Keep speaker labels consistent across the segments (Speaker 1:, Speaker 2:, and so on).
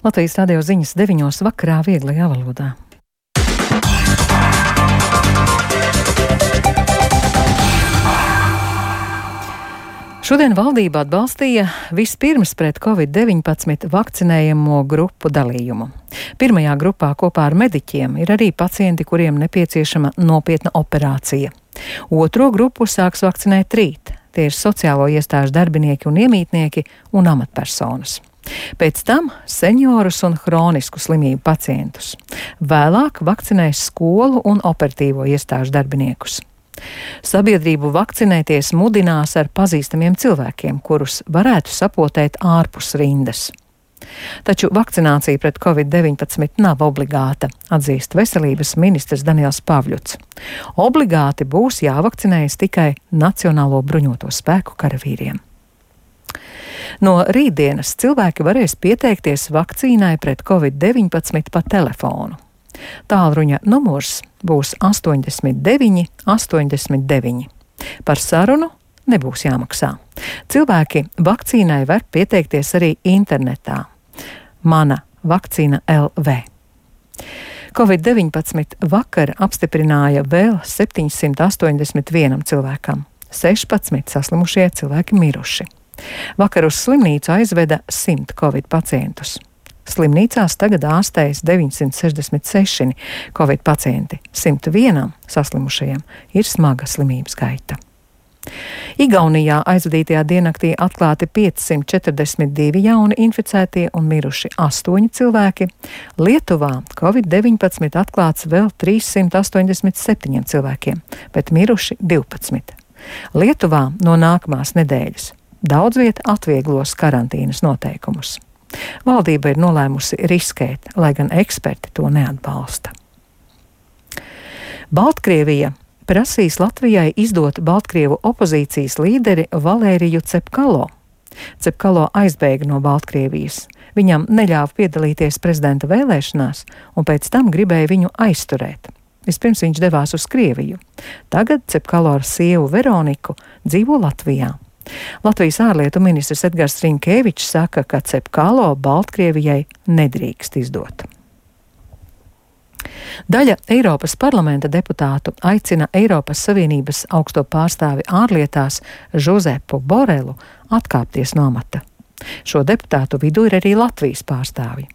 Speaker 1: Latvijas radio ziņas 9 vakarā vieglajā valodā. Šodien valdība atbalstīja vispirms pret Covid-19 vakcinējamo grupu dalījumu. Pirmajā grupā kopā ar mediķiem ir arī pacienti, kuriem nepieciešama nopietna operācija. Otro grupu sāks vakcinēt rīt. Tie ir sociālo iestāžu darbinieki un iemītnieki un amatpersonas. Pēc tam seniorus un hronisku slimību pacientus. Vēlāk vakcinēs skolu un operatīvo iestāžu darbiniekus. Sabiedrību vakcinēties mudinās ar pazīstamiem cilvēkiem, kurus varētu sapotēt ārpus rindas. Taču vakcinācija pret Covid-19 nav obligāta, atzīst veselības ministrs Daniels Pavļuts. Obligāti būs jāvakcinējas tikai Nacionālo bruņoto spēku karavīriem. No rītdienas cilvēki varēs pieteikties vakcīnai pret Covid-19 pa telefonu. Tālruņa numurs būs 89 89. Par sarunu nebūs jāmaksā. Cilvēki vakcīnai var pieteikties arī internetā. Mana vakcīna LV. Covid-19 vakar apstiprināja vēl 781 cilvēkam. 16 saslimušie cilvēki miruši. Vakar uz slimnīcu aizveda 100 Covid pacientus. Slimnīcās tagad ārstējas 966 Covid pacienti, 101 saslimušajiem ir smaga slimības gaita. Igaunijā aizvadītajā diennaktī atklāti 542 jauni inficētie un miruši 8 cilvēki. Lietuvā Covid-19 atklāts vēl 387 cilvēkiem, bet miruši 12. Lietuvā no nākamās nedēļas daudz vieta atvieglos karantīnas noteikumus. Valdība ir nolēmusi riskēt, lai gan eksperti to neatbalsta. Baltkrievija prasīs Latvijai izdot Baltkrievu opozīcijas līderi Valēriju Cepkalo. Cepkalo aizbēga no Baltkrievijas. Viņam neļāva piedalīties prezidenta vēlēšanās un pēc tam gribēja viņu aizturēt. Vispirms viņš devās uz Krieviju. Tagad Cepkalo ar sievu Veroniku dzīvo Latvijā. Latvijas ārlietu ministrs Edgars Rinkēvičs saka, ka Cepkalo Baltkrievijai nedrīkst izdot. Daļa Eiropas parlamenta deputātu aicina Eiropas Savienības augsto pārstāvi ārlietās Žozepu Borelu atkāpties no amata. Šo deputātu vidū ir arī Latvijas pārstāvi.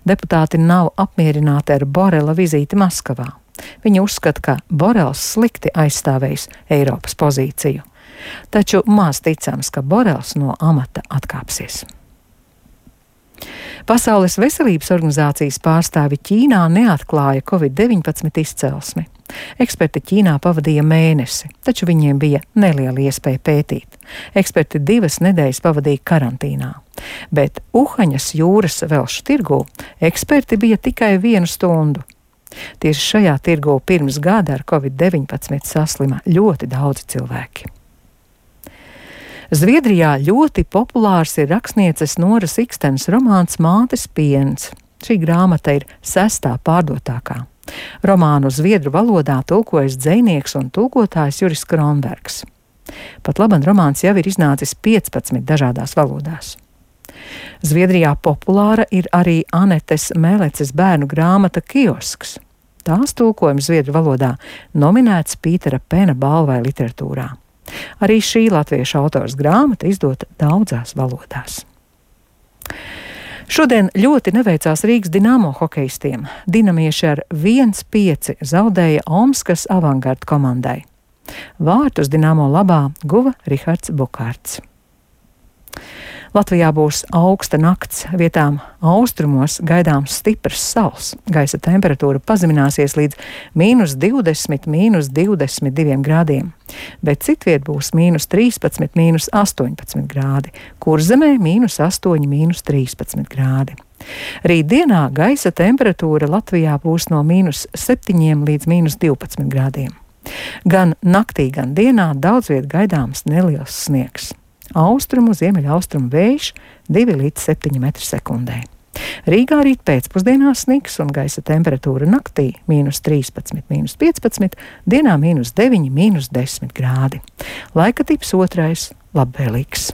Speaker 1: Deputāti nav apmierināti ar Borela vizīti Maskavā. Viņi uzskata, ka Borels slikti aizstāvējis Eiropas pozīciju. Taču maz ticams, ka Borels no amata atkāpsies. Pasaules veselības organizācijas pārstāvi Ķīnā neatklāja Covid-19 izcelsmi. Eksperti Ķīnā pavadīja mēnesi, taču viņiem bija neliela iespēja pētīt. Eksperti 2 nedēļas pavadīja karantīnā. Bet Uhaņas jūras velšu tirgū eksperti bija tikai 1 stundu. Tieši šajā tirgū pirms gada ar Covid-19 saslima ļoti daudzi cilvēki. Zviedrijā ļoti populārs ir rakstnieces Noras Ikstenes romāns Mātes piens. Šī grāmata ir 6. pārdotākā. Romānu zviedru valodā tulkojas dzejnieks un tulkotājs Juris Kronbergs. Pat laban romāns jau ir iznācis 15 dažādās valodās. Zviedrijā populāra ir arī Anetes Mēleces bērnu grāmata Kiosks. Tās tulkojums zviedru valodā nominēts Pītera Pena balvai literatūrā. Arī šī latviešu autors grāmata izdota daudzās valodās. Šodien ļoti neveicās Rīgas Dinamo hokejistiem. Dinamieši ar 1-5 zaudēja Omskas Avangarda komandai. Vārtus Dinamo labā guva Rihards Bukārts. Latvijā būs augsta nakts, vietām austrumos gaidāms stiprs sals. Gaisa temperatūra pazemināsies līdz -20, -22 grādiem, bet citviet būs -13, -18 grādi, Kurzemē -8, -13 grādi. Rītdienā gaisa temperatūra Latvijā būs no -7 līdz -12 grādiem. Gan naktī, gan dienā daudz viet gaidāms neliels sniegs. Austrumu, ziemeļaustrumu vējš 2 līdz 7 m/sekundē. Rīgā rīt pēcpusdienā sniks un gaisa temperatūra naktī -13, -15, dienā -9, -10 grādi. Laika tips otrais - labvēlīgs.